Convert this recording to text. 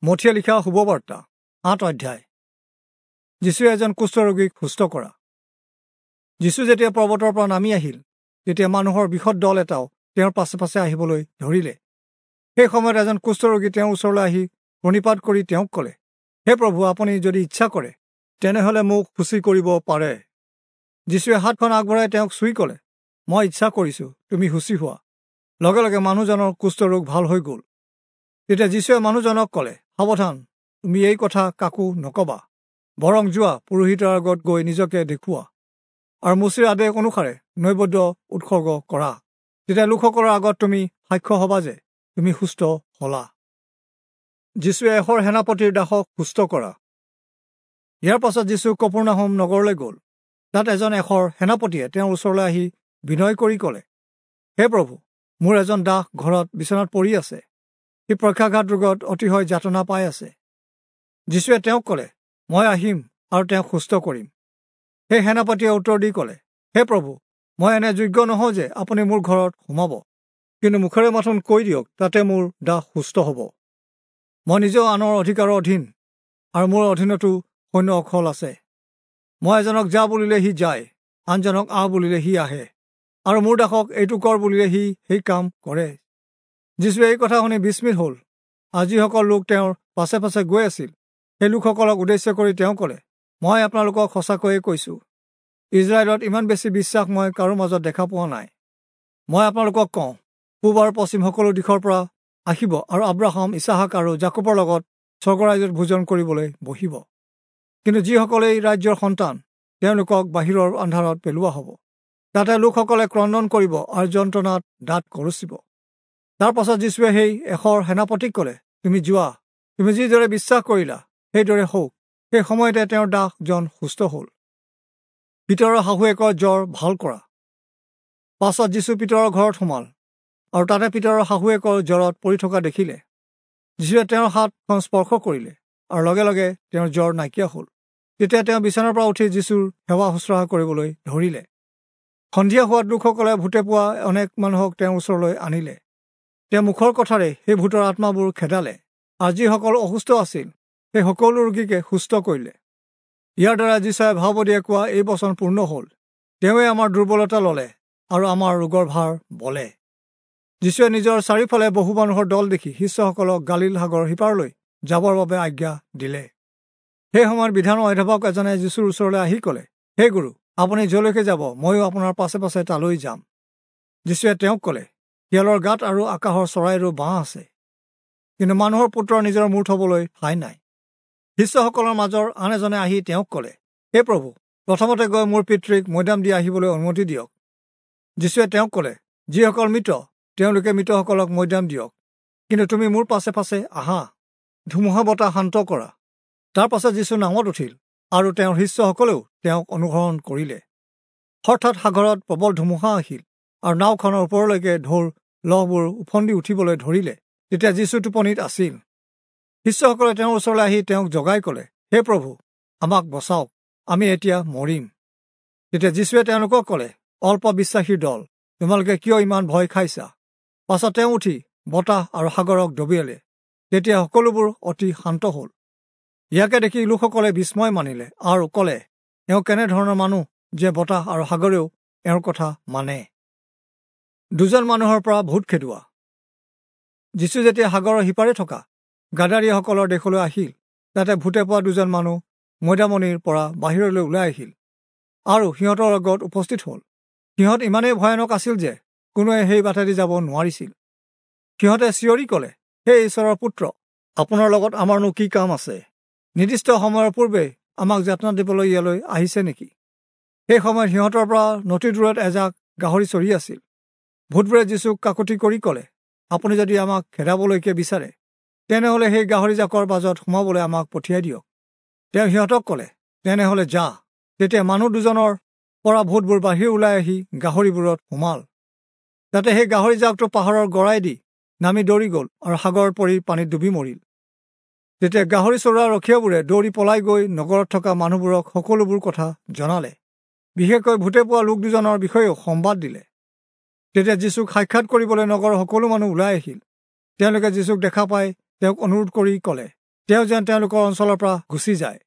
মথিয়ে লিখা শুভবাৰ্তা ৮ অধ্যায়। যীশুৱে এজন কুষ্ঠৰোগীক সুস্থ কৰা। যীশু যেতিয়া পৰ্বতৰ পৰা নামি আহিল, তেতিয়া মানুহৰ বৃহৎ দল এটাও তেওঁৰ পাছে পাছে আহিবলৈ ধৰিলে। সেই সময়ত এজন কুষ্ঠৰোগী তেওঁৰ ওচৰলৈ আহি প্ৰণিপাত কৰি তেওঁক ক'লে, হে প্ৰভু, আপুনি যদি ইচ্ছা কৰে তেনেহ'লে মোক শুচি কৰিব পাৰে। যীশুৱে হাতখন আগবঢ়াই তেওঁক চুই ক'লে, মই ইচ্ছা কৰিছোঁ, তুমি শুচি হোৱা। লগে লগে মানুহজনৰ কুষ্ঠৰোগ ভাল হৈ গ'ল। তেতিয়া যীশুৱে মানুহজনক ক'লে, সাৱধান, তুমি এই কথা কাকো নকবা, বৰং যোৱা, পুৰোহিতৰ আগত গৈ নিজকে দেখুওৱা আৰু মোচিৰ আদেশ অনুসাৰে নৈবেদ্য উৎসৰ্গ কৰা। তেতিয়া লোকসকলৰ আগত তুমি সাক্ষ্য হবা যে তুমি সুস্থ হলা। যীশুৱে এশৰ সেনাপতিৰ দাসক সুস্থ কৰা। ইয়াৰ পাছত যীশু কপৰ্নাহুম নগৰলৈ গ'ল। তাত এজন এশৰ সেনাপতিয়ে তেওঁৰ ওচৰলৈ আহি বিনয় কৰি ক'লে, হে প্ৰভু, মোৰ এজন দাস ঘৰত বিচনাত পৰি আছে, সি পক্ষাঘাত ৰোগত অতিশয় যাতনা পাই আছে। যীশুৱে তেওঁক ক'লে, মই আহিম আৰু তেওঁক সুস্থ কৰিম। সেই সেনাপতিয়ে উত্তৰ দি ক'লে, হে প্ৰভু, মই এনে যোগ্য নহওঁ যে আপুনি মোৰ ঘৰত সোমাব, কিন্তু মুখেৰে মাথোন কৈ দিয়ক, তাতে মোৰ দাস সুস্থ হ'ব। মই নিজেও আনৰ অধিকাৰৰ অধীন আৰু মোৰ অধীনতো সৈন্য অখল আছে। মই এজনক যা বুলিলে সি যায়, আনজনক আহ বুলিলে সি আহে, আৰু মোৰ দাসক এইটো কৰ বুলিলে সি সেই কাম কৰে। যীশুৱে এই কথা শুনি বিস্মিত হ'ল আৰু যিসকল লোক তেওঁৰ পাছে পাছে গৈ আছিল সেই লোকসকলক উদ্দেশ্য কৰি তেওঁ ক'লে, মই আপোনালোকক সঁচাকৈয়ে কৈছোঁ, ইজৰাইলত ইমান বেছি বিশ্বাস মই কাৰো মাজত দেখা পোৱা নাই। মই আপোনালোকক কওঁ, পূব আৰু পশ্চিম সকলো দিশৰ পৰা আহিব আৰু আব্ৰাহাম, ইছাহাক আৰু জাকোবৰ লগত স্বৰ্গৰাজ্যত ভোজন কৰিবলৈ বহিব। কিন্তু যিসকলে এই ৰাজ্যৰ সন্তান, তেওঁলোকক বাহিৰৰ আন্ধাৰত পেলোৱা হ'ব। তাতে লোকসকলে ক্ৰন্দন কৰিব আৰু যন্ত্ৰণাত দাঁত কৰচিব। তাৰ পাছত যীশুৱে সেই এশৰ সেনাপতিক ক'লে, তুমি যোৱা, তুমি যিদৰে বিশ্বাস কৰিলা সেইদৰে হওক। সেই সময়তে তেওঁৰ দাসজন সুস্থ হ'ল। পিতৰৰ শাহুৱেকৰ জ্বৰ ভাল কৰা। পাছত যীশু পিতৰৰ ঘৰত সোমাল আৰু তাতে পিতৰৰ শাহুৱেকৰ জ্বৰত পৰি থকা দেখিলে। যীশুৱে তেওঁৰ হাতখন স্পৰ্শ কৰিলে আৰু লগে লগে তেওঁৰ জ্বৰ নাইকিয়া হ'ল। তেতিয়া তেওঁ বিচনাৰ পৰা উঠি যীশুৰ সেৱা শুশ্ৰূষা কৰিবলৈ ধৰিলে। সন্ধিয়া হোৱাত লোকসকলে ভূতে পোৱা অনেক মানুহক তেওঁৰ ওচৰলৈ আনিলে। তেওঁ মুখৰ কথাৰে সেই ভূতৰ আত্মাবোৰ খেদালে আৰু যিসকল অসুস্থ আছিল সেই সকলো ৰোগীকে সুস্থ কৰিলে। ইয়াৰ দ্বাৰা যীচুৱে ভাববাদীয়ে কোৱা এই বচন পূৰ্ণ হ'ল, তেওঁৱে আমাৰ দুৰ্বলতা ল'লে আৰু আমাৰ ৰোগৰ ভাৰ বলে। যীশুৱে নিজৰ চাৰিওফালে বহু মানুহৰ দল দেখি শিষ্যসকলক গালীল সাগৰৰ সিপাৰলৈ যাবৰ বাবে আজ্ঞা দিলে। সেই সময়ত বিধানৰ অধ্যাপক এজনে যীশুৰ ওচৰলৈ আহি ক'লে, হে গুৰু, আপুনি য'লৈকে যাব ময়ো আপোনাৰ পাছে পাছে তালৈ যাম। যীশুৱে তেওঁক ক'লে, শিয়ালৰ গাঁত আৰু আকাশৰ চৰাইৰো বাঁহ আছে, কিন্তু মানুহৰ পুত্ৰৰ নিজৰ মূৰ থবলৈ ঠাই নাই। শিষ্যসকলৰ মাজৰ আন এজনে আহি তেওঁক ক'লে, হে প্ৰভু, প্ৰথমতে গৈ মোৰ পিতৃক মৈদাম দি আহিবলৈ অনুমতি দিয়ক। যীশুৱে তেওঁক ক'লে, যিসকল মৃত তেওঁলোকে মৃতসকলক মৈদাম দিয়ক, কিন্তু তুমি মোৰ পাছে পাছে আহা। ধুমুহা বতাহ শান্ত কৰা। তাৰ পাছত যীশু নাৱত উঠিল আৰু তেওঁৰ শিষ্যসকলেও তেওঁক অনুসৰণ কৰিলে। হঠাৎ সাগৰত প্ৰবল ধুমুহা আহিল আৰু নাওখনৰ ওপৰলৈকে ঢৌৰ লহবোৰ ওফন্দি উঠিবলৈ ধৰিলে। তেতিয়া যীশু টোপনিত আছিল। শিষ্যসকলে তেওঁৰ ওচৰলৈ আহি তেওঁক জগাই ক'লে, হে প্ৰভু, আমাক বচাওক, আমি এতিয়া মৰিম। তেতিয়া যীশুৱে তেওঁলোকক ক'লে, অল্প বিশ্বাসীৰ দল, তোমালোকে কিয় ইমান ভয় খাইছা? পাছত তেওঁ উঠি বতাহ আৰু সাগৰক ডবিয়ালে। তেতিয়া সকলোবোৰ অতি শান্ত হ'ল। ইয়াকে দেখি লোকসকলে বিস্ময় মানিলে আৰু ক'লে, এওঁ কেনেধৰণৰ মানুহ যে বতাহ আৰু সাগৰেও এওঁৰ কথা মানে। দুজন মানুহৰ পৰা ভূত খেদোৱা। যীশু যেতিয়া সাগৰৰ সিপাৰে থকা গাদাৰীয়াসকলৰ দেশলৈ আহিল, তাতে ভূতে পোৱা দুজন মানুহ মৈদামনিৰ পৰা বাহিৰলৈ ওলাই আহিল আৰু সিহঁতৰ আগত উপস্থিত হ'ল। সিহঁত ইমানেই ভয়ানক আছিল যে কোনোৱে সেই বাটেদি যাব নোৱাৰিছিল। সিহঁতে চিঞৰি ক'লে, হে ঈশ্বৰৰ পুত্ৰ, আপোনাৰ লগত আমাৰনো কি কাম আছে? নিৰ্দিষ্ট সময়ৰ পূৰ্বে আমাক যাতনা দিবলৈ ইয়ালৈ আহিছে নেকি? সেই সময়ত সিহঁতৰ পৰা নদী দূৰত এজাক গাহৰি চৰি আছিল। ভূতবোৰে যীশুক কাকতি কৰি ক'লে, আপুনি যদি আমাক খেদাবলৈকে বিচাৰে তেনেহ'লে সেই গাহৰিজাকৰ মাজত সোমাবলৈ আমাক পঠিয়াই দিয়ক। তেওঁ সিহঁতক ক'লে, তেনেহ'লে যা। তেতিয়া মানুহ দুজনৰ পৰা ভূতবোৰ বাহিৰ ওলাই আহি গাহৰিবোৰত সোমাল। তাতে সেই গাহৰিজাকটো পাহাৰৰ গৰাই দি নামি দৌৰি গ'ল আৰু সাগৰত পৰি পানীত ডুবি মৰিল। তেতিয়া গাহৰি চৰোৱা ৰখীয়াবোৰে দৌৰি পলাই গৈ নগৰত থকা মানুহবোৰক সকলোবোৰ কথা জনালে, বিশেষকৈ ভূতে পোৱা লোক দুজনৰ বিষয়েও সম্বাদ দিলে। তেতিয়া যীশুক সাক্ষাৎ কৰিবলৈ নগৰৰ সকলো মানুহ ওলাই আহিল। তেওঁলোকে যীশুক দেখা পাই তেওঁক অনুৰোধ কৰি ক'লে, তেওঁ যেন তেওঁলোকৰ অঞ্চলৰ পৰা গুচি যায়।